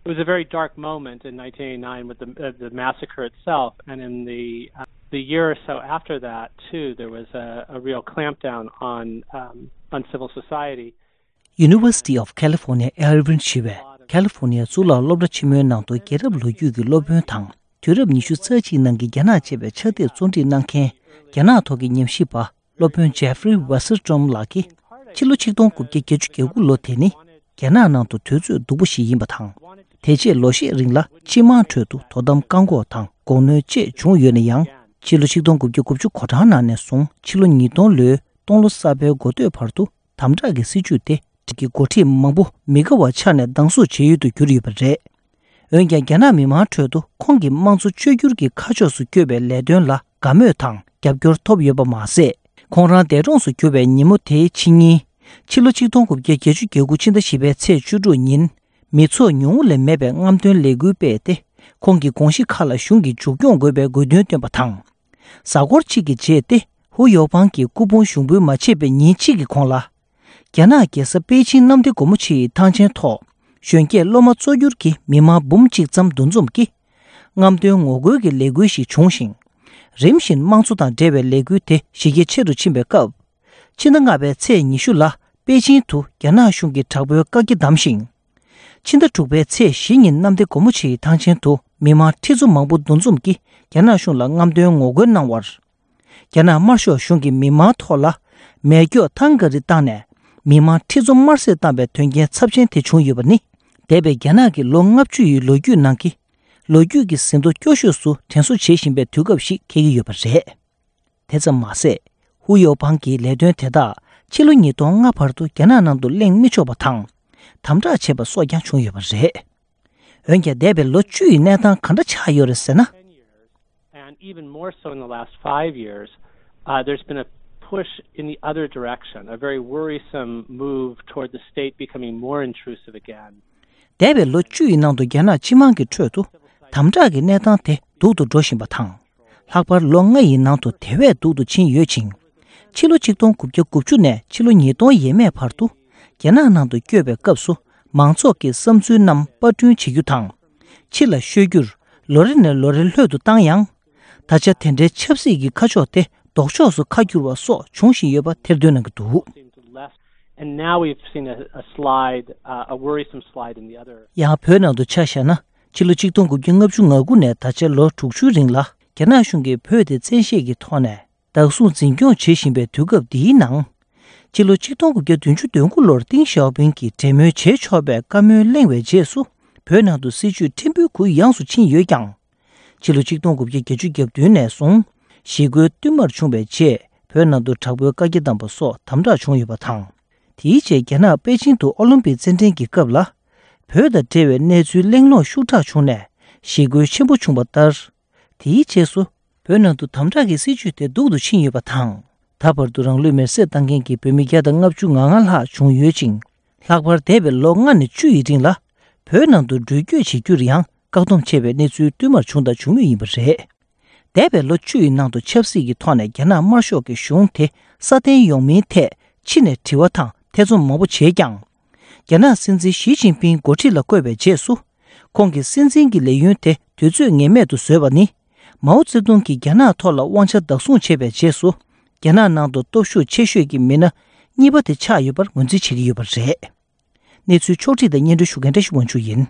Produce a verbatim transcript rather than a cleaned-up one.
It was a very dark moment in nineteen eighty-nine with the, uh, the massacre itself, and in the, uh, the year or so after that, too, there was a, a real clampdown on, um, on civil society. University of California Irvine ཞེས་པའི་ཁ་ལི་ཧྥོ་ནི་ཡ་གཙུག་ལག་སློབ་གྲྭ་ཆེན་མོའི་ནང་དུ་རྒྱལ་རབས་ལོ་རྒྱུས་ཀྱི་སློབ་དཔོན་དང་། དུས་རབས་ཉི་ཤུ་རྩ་གཅིག་ནང་གི་རྒྱ་ནག་ཅེས་པའི་ཕྱག་དེབ་བརྩོན་འགྲིག་གནང་མཁན་རྒྱ་ནག་ཐོག་གི་ཉམས་ཞིབ་པ་སློབ་དཔོན་ཇེ་ཧྥི་རི་ཝེ་སེར་ཀྲོམ་ལགས་ཀྱིས། ཕྱི་ལོ་ཆིག་སྟོང་དགུ་བརྒྱ་བརྒྱད་ཅུ་གྱ་དགུ་ལོ་དེ་ནི་རྒྱ་ནག་ནང་དུ་དུས་ཚོད་སྡུག་པོ་ཞིག་ཡིན་པ་དང་། དེ་རྗེས་ལོ་ཤས་རིང་ལ་སྤྱི་དམངས་ཁྲོད་དུ་དོ་དམ་བཀག་འགོག་དང་སྒོ་གནོན་བཅས་བྱུང་ཡོད་ན་ཡང་། ཕྱི་ལོ་ཆིག་སྟོང་དགུ་བརྒྱ་དགུ་བཅུ་གོ་གྲངས་ནང་ནས་བཟུང་ཕྱི་ལོ་ཉིས་སྟོང་ལོའི་སྟོང་ལོ་གསར་པའི་འགོ་སྟོད་བར་དུ་དམ་དྲག་གི་སྲིད་བྱུས་དེ་གི་འགོ་ཁྲིད་མང་པོ་མི་དགའ་བ་ཆགས་ནས་སྡང་ཟུག་བྱེད་ཡུལ་དུ་གྱུར་ཡོད་པ་རེད། འོན་ཀྱང་རྒྱ་ནག་མི་མང་ཁྲོད་དུ་ཁོང་གིས་དམངས་གཙོ་བཅོས་བསྒྱུར་གྱི་ཁ་ཕྱོགས་སུ་བསྐྱོད་པའི་ལས་དོན་ལ་དགའ་མོས་དང་རྒྱབ་སྐྱོར་ཐོབ་ཡོད་པ་མ་ཟད། ཁོང་རང་འདས་གྲོངས་སུ་གྱུར་བའི་ཉིན་མོ་དེའི་ཕྱི་ཉིན། ཕྱི་ལོ་ཆིག་སྟོང་དགུ་བརྒྱ་བརྒྱད་ཅུ་གྱ་དགུ་ཕྱི་ཟླ་བཞི་པའི་ཚེས་བཅུ་དྲུག་ཉིན། མི་ཚོགས་ཉུང་ངུ་ལས་མེད་པའི་རྔམ་སྟོན་ལས་འགུལ་སྤེལ་ཏེ། ཁོང་གི་དགོངས་གཞི་ཁག་ལ་གཞུང་གིས་མཇུག་སྐྱོང་དགོས་པའི་དགོས་འདུན་བཏོན་པ་དང་། གཟའ་འཁོར་གཅིག་གི་རྗེས་ཏེ་ཧུ་ཡོ་ཕང་གིས་སྐུ་ཕུང་ཞུགས་འབུལ་མ་བྱས་པའི་ཉིན་གཅིག་གི་གོང་ལ། རྒྱ་ནག་རྒྱལ་ས་པེ་ཅིང་གནམ་བདེ་སྒོ་མོ་ཆེའི་ཐང་ཆེན་ཐོག་གཞོན་སྐྱེས་སློབ་མ་གཙོ་གྱུར་གྱི་མི་མང་འབུམ་གཅིག་ཙམ་འདུ་འཛོམས་ཀྱིས། རྔམ་སྟོན་ངོ་རྒོལ་གྱི་ལས་འགུལ་ཞིག་བྱུང་ཞིང་། རིམ་བཞིན་དམངས་གཙོ་དང་འབྲེལ་བའི་ལས་འགུལ་དེ་གཞི་རྒྱ་ཆེ་རུ་ཕྱིན་པའི་སྐབས། ཕྱི་ཟླ་ལྔ་པའི་ཚེས་ཉི་ཤུ་ལ་པེ་ཅིང་དུ་རྒྱ་ནག་གཞུང་གིས་དྲག་པོའི་བཀག་རྒྱ་བསྡམས་ཤིང་། ཕྱི་ཟླ་དྲུག་པའི་ཚེས་བཞི་ཉིན་གནམ་བདེ་སྒོ་མོ་ཆེའི་ཐང་ཆེན་དུ་མི་མང་ཁྲི་ཚོ་མང་པོ་འདུ་འཛོམས་ཀྱིས་རྒྱ་ནག་གཞུང་ལ་རྔམ་སྟོན་ངོ་རྒོལ་གནང་བར། རྒྱ་ནག་དམར་ཤོག་གཞུང་གིས་མི་མང་ཐོག་ལ་མེ་སྒྱོགས་ཐང་ག་རི་བཏང་ནས་མི་མང་ཁྲི་ཚོ་དམར་བསད་བཏང་པའི་དོན་རྐྱེན་ཚབས་ཆེན་དེ་བྱུང་ཡོད་པ་ནི། འདས་པའི་རྒྱ་ནག་གི་ལོ་ལྔ་བཅུ་ཡི་ལོ་རྒྱུས་ནང་གི་ལོ་རྒྱུས་ཀྱི་ཟིན་ཐོ་སྐྱོ་ཤོས་སུ་དྲན་གསོ་བྱེད་བཞིན་པའི་དུས་སྐབས་ཤིག་འཁེལ་གྱི་ཡོད་པ་རེད། དེ་ཙམ་མ་ཟད། ཧུ་ཡོ་ཕང་གིས་ལས་དོན་དེ་དག་ཕྱི་ལོ་ཉིས་སྟོང་ལྔ་བར་དུ་རྒྱ་ནག་ནང་དུ་གླེང་མི་ཆོག་པ་དང་། དམ་དྲག་བྱས་པ་སོགས་ཀྱང་བྱུང་ཡོད་པ་རེད། འོན་ཀྱང་འདས་པའི་ལོ་བཅུ་ཡི་གནས་སྟངས་ག་འདྲ་ཆགས་ཡོད་རེད་ཟེར་ན། And even more so in the last five years, uh, there's been a push in the other direction, a very worrisome move toward the state becoming more intrusive again. འདས་པའི་ལོ་བཅུ་ཡི་ནང་དུ་རྒྱ་ནག་སྤྱི་དམངས་ཀྱི་ཁྲོད་དུ་དམ་དྲག་གི་གནས་སྟངས་དེ་སྡུག་ཏུ་འགྲོ་བཞིན་པ་དང་། ལྷག་པར་ལོ་ལྔ་ཡི་ནང་དུ་དེ་བས་སྡུག་ཏུ་ཕྱིན་ཡོད་ཅིང་། ཕྱི་ལོ་ཆིག་སྟོང་དགུ་བརྒྱ་དགུ་བཅུ་ནས་ཕྱི་ལོ་ཉིས་སྟོང་ཡས་མས་བར་དུ་རྒྱ་ནག་ནང་དུ་བསྐྱོད་པའི་སྐབས་སུ་མང་ཚོགས་ཀྱི་བསམ་ཚུལ་རྣམས་པར་སྐྲུན་བྱེད་རྒྱུ་དང་། ཕྱི་ལ་བཤོལ་རྒྱུར་ལོ་རེ་ནས་ལོ་རེ་ལྷོད་དུ་བཏང་ཡང་། ད་ཆ་དེ་འདྲའི་ཆབ་སྲིད་ཀྱི་ཁ་ཕྱོགས་དེ་ལྡོག་ཕྱོགས་སུ་ཁ་བསྒྱུར་བ་སོགས་བྱུང་བཞིན་ཡོད་པ་ཐེར་འདོན་གནང་གི་འདུག And now we've seen a, a slide, uh, a worrisome slide in the other. ཡང་བོད་ནང་དུ་ཆ་བཞག་ན། ཕྱི་ལོ་ཆིག་སྟོང་དགུ་བརྒྱ་ལྔ་བཅུ་ང་དགུ་ནས་ད་ཆ་ལོ་དྲུག་ཅུའི་རིང་ལ་རྒྱ་ནག་གཞུང་གིས་བོད་དེ་བཙན་ཤེད་ཀྱི་ཐོག་ནས་བདག་བཟུང་འཛིན་སྐྱོང་བྱེད་བཞིན་པའི་དུས་སྐབས་འདིའི་ནང་། ཕྱི་ལོ་ཆིག་སྟོང་དགུ་བརྒྱ་བདུན་ཅུ་དོན་དགུ་ལོར་ཏིང་ཞའོ་ཕིང་གིས་འབྲེལ་མོལ་བྱེད་ཆོག་པའི་བཀའ་མོལ་གླེང་བའི་རྗེས་སུ། བོད་ནང་དུ་སྲིད་བྱུས་ཕྲན་བུ་གུ་ཡངས་སུ་ཕྱིན་ཡོད་ཀྱང་། ཕྱི་ལོ་ཆིག་སྟོང་དགུ་བརྒྱ་བརྒྱད་ཅུ་གྱ་བདུན་ནས་བཟུང་ཞི་རྒོལ་བསྟུད་མར་བྱུང་བའི་རྗེས་བོད་ནང་དུ་དྲག་པོའི་བཀའ་རྒྱ་བསྡམས་པ་སོགས་དམ་དྲག་བྱུང་ཡོད་པ་དང་། དེའི་རྗེས་རྒྱ་ནག་པེ་ཅིང་དུ་ཨོ་ལིམ་པིག་རྩེད་འགྲན་གྱི་སྐབས་ལ། བོད་དང་འབྲེལ་བའི་གནས་ཚུལ་གླེང་སློང་ཤུགས་དྲག་བྱུང་ནས་ཞི་རྒོལ་ཆེན་པོ་བྱུང་བ་ལྟར། དེའི་རྗེས་སུ། བོད་ནང་དུ་དམ་དྲག་གི་སྲིད་བྱུས་དེ་སྡུག་ཏུ་ཕྱིན་ཡོད་པ་དང་། ད་བར་དུ་རང་ལུས་མེར་སྲེག་བཏང་མཁན་གྱི་བོད་མི་བརྒྱ་དང་ལྔ་བཅུ་ང་ལྔ་ལྷག་བྱུང་ཡོད་ཅིང་། ལྷག་པར་འདས་པའི་ལོ་ལྔ་ནས་བཅུ་ཡི་རིང་ལ། བོད་ནང་དུ་འགྲུལ་སྐྱོད་བྱེད་རྒྱུར་ཡང་བཀག་སྡོམ་བྱས་པའི་གནས་ཚུལ་བསྟུད་མར་བྱུང་དང་འབྱུང་མུས་ཡིན་པ་རེད། འདས་པའི་ལོ་བཅུ་ཡི་ནང་དུ་ཆབ་སྲིད་ཀྱི་ཐོག་ནས་རྒྱ་ནག་དམར་ཤོག་གི་གཞུང་དེ་སྲ་བརྟན་ཡོང་མིན་ཐད་ཕྱི་ནས་དྲི་བ་དང་ཐེ་ཚོམ་མང་པོ་བྱས་ཀྱང་། རྒྱ་ནག་སྲིད་འཛིན་ཞི་ཅིན་ཕིང་འགོ་ཁྲིད་ལ་བསྐོས་པའི་རྗེས་སུ། ཁོང་གིས་སྲིད་འཛིན་གྱི་ལས་ཡུན་དེ་དུས་ཚོད་ངེས་མེད་དུ་བཟོས་པ་ནི། མའོ་ཙེ་ཏུང་གིས་རྒྱ་ནག་ཐོག་ལ་དབང་ཆ་བདག་བཟུང་བྱས་པའི་རྗེས་སུ། རྒྱ་ནག་ནང་དུ་སྟོབས་ཤུགས་ཆེ་ཤོས་ཀྱི་མི་སྣ་གཉིས་པ་དེ་ཆགས་ཡོད་པར་ངོས་འཛིན་བྱེད་ཀྱི་ཡོད་པ་རེད། གནས་ཚུལ་ཕྱོགས་བསྒྲིགས་དང་སྙན་སྒྲོན་ཞུ་མཁན་བཀྲ་ཤིས་དབང་ཕྱུག་ཡིན།